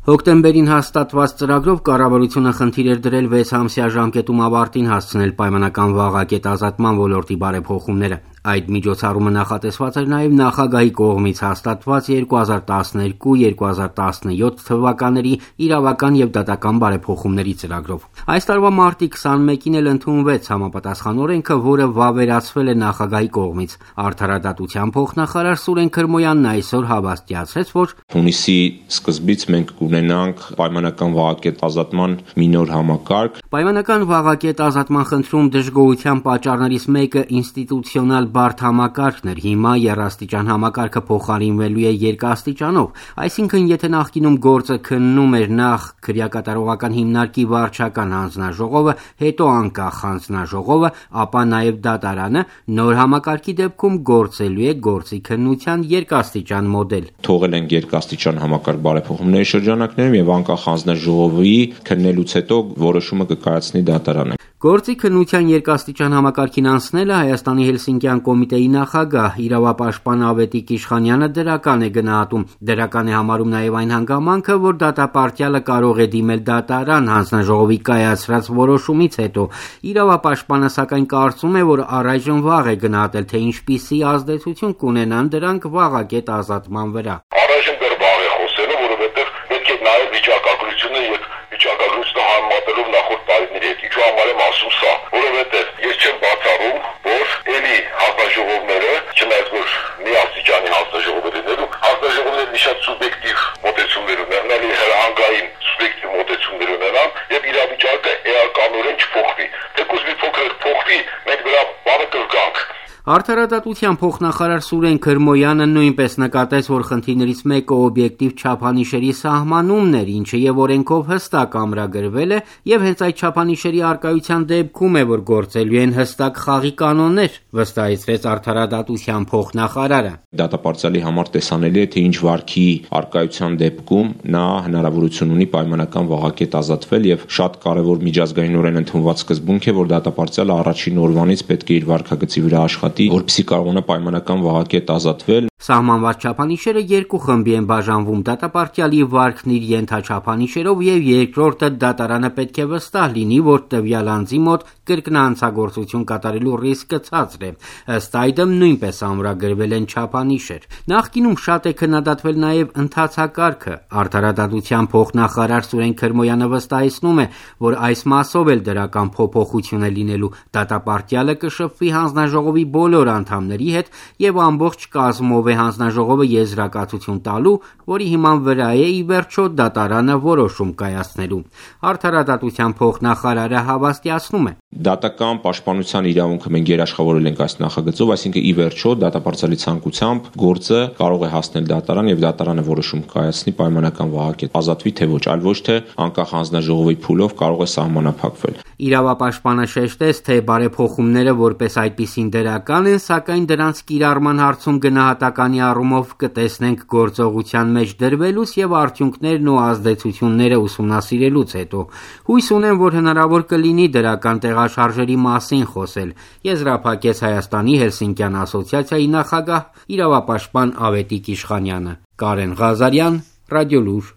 Հոկտեմբերին հաստատված ծրագրով կառավարությունը խնդիր էր դրել 6 ամսյա ժամկետում ավարտին հասցնել պայմանական վաղակետ ազատման ոլորտի բարեփոխումները։ Այդ միջոցառումը նախատեսված էր նաև նախագահի կողմից հաստատված 2012-2017 թվականների իրավական եւ դատական բարեփոխումների ծրագրով։ Այս տարվա մարտի 21-ին էլ ընդունվեց համապատասխան օրենքը, որը վավերացվել է նախագահի կողմից։ Արդարադատության փոխնախարար Սուրեն Քրմոյանն այսօր հավաստիացրեց, որ հունիսի սկզբից մենք կունենանք պայմանական վաղակետ ազատման մի նոր համակարգ։ Պայմանական վաղակետ ազատման խնդրում դժգոհության պատճառներից մեկը ինստիտուցիոնալ բարդ համակարգն էր։ Հիմա եռաստիճան համակարգը փոխարինվելու է երկաստիճանով, այսինքն եթե նախկինում գործը քննում էր նախ քրեակատարողական հիմնարկի վարչական հանձնաժողովը, հետո անկախ հանձնաժողովը, ապա նաև դատարանը, նոր համակարգի դեպքում գործելու է գործի քննության երկաստիճան մոդել։ Թողել ենք երկաստիճան համակարգ բարեփոխումների շրջանակներում եւ անկախ հանձնաժողովի քննելուց հետո որոշումը կկայացնի դատարանը։ Գործի քննության երկաստիճան համակարգին անցնելը Հայաստանի Հելսինկյան կոմիտեի նախագահ իրավապաշտպան Ավետիք Իշխանյանը դրական է գնահատում։ Դրական է համարում նաև այն հանգամանքը, որ դատապարտյալը կարող է դիմել դատարան հանձնաժողովի կայացրած որոշումից հետո։ Իրավապաշտպանը սակայն կարծում է, որ առայժմ վաղ է գնահատել, թե ինչպիսի ազդեցություն կունենան դրանք վաղակետ ազատման վրա։ Առայժմ դեռ վաղ է խոսելը, որովհետև պետք է նաև վիճակագրությունը եւ վիճակագրությունը համեմատելով նախորդ տարիների հետ։ Ինչու համար եմ ասում սա, որովհետև ես չեմ բացառում, որ էլի հանձնաժողովները, չնայած որ մի աստիճանի հանձնաժողով լինելու, հանձնաժողովները մի շատ սուբյեկտիվ մոտեցումներ ունեն, էլի հրահանգային սուբյեկտիվ մոտեցումներ ունենան եւ իրավիճակը էականորեն չփոխվի։ Թեկուզ մի փոքր փոխվի, մենք դրա բանը կրկանք։ Արդարադատության փոխնախարար Սուրեն Քրմոյանը նույնպես նկատեց, որ խնդիրներից մեկը օբյեկտիվ չափանիշերի սահմանումն էր, ինչը եւ օրենքով հստակ ամրագրվել է, եւ հենց այդ չափանիշերի առկայության դեպքում է, որ գործելու են հստակ խաղի կանոններ, վստահեցրեց արդարադատության փոխնախարարը։ Դատապարտյալի համար տեսանելի է, թե ինչ վարքի առկայության դեպքում նա հնարավորություն ունի պայմանական վաղակետ ազատվել եւ շատ կարեւոր միջազգայինորեն ընդունված սկզբունք է, որ դատապարտյալը առաջին օրվանից պետք է իր վարքագծի վրա աշխատի, որպեսզի կարողանա պայմանական վաղակետ ազատվել։ Սահմանված չափանիշերը երկու խմբի են բաժանվում՝ դատապարտյալի վարքն իր ենթաչափանիշերով եւ երկրորդը դատարանը պետք է վստահ լինի, որ տվյալ անձի մոտ կրկնանցագործություն կատարելու ռիսկը ցածր է։ Ըստ այդմ նույնպես ամրագրվել են չափանիշեր։ Նախկինում շատ է քննադատվել նաեւ ընթացակարգը։ Արդարադատության փոխնախարար Սուրեն Քրմոյանը վստահեցնում է, որ այս մասով էլ դրական փոփոխություն է լինելու։ Դատապարտյալը կշփվի հանձնաժողովի բոլոր անդամների հետ եւ ամբողջ կազմով է հանձնաժողովը եզրակացություն տալու, որի հիման վրա է ի վերջո դատարանը որոշում կայացնելու։ Արդարադատության փոխնախարարը հավաստիացնում է. Դատական պաշտպանության իրավունքը մենք երաշխավորել ենք այս նախագծով, այսինքն ի վերջո դատապարտյալի ցանկությամբ գործը կարող է հասնել դատարան եւ դատարանը որոշում կայացնի պայմանական վաղակետ ազատվի թե ոչ, այլ ոչ թե անկախ հանձնաժողովի փուլով կարող է սահմանափակվել։ Իրավապաշտպանը շեշտեց, թե բարեփոխումները որպես այդպիսին դրական են, սակայն դրանց կիրառման հարցում գնահատականի առումով կտեսնենք գործողության մեջ դրվելուց եւ արդյունքներն ու ազդեցությունները ուսումնասիրելուց հետո։ Հույս ունեմ, որ հնարավոր կլինի դրական տեղաշարժերի մասին խոսել, եզրափակեց Հայաստանի Հելսինկյան ասոցիացիայի նախագահ իրավապաշտպան Ավետիք Իշխանյանը։ Կարեն Ղազարյան, Ռադիոլուր։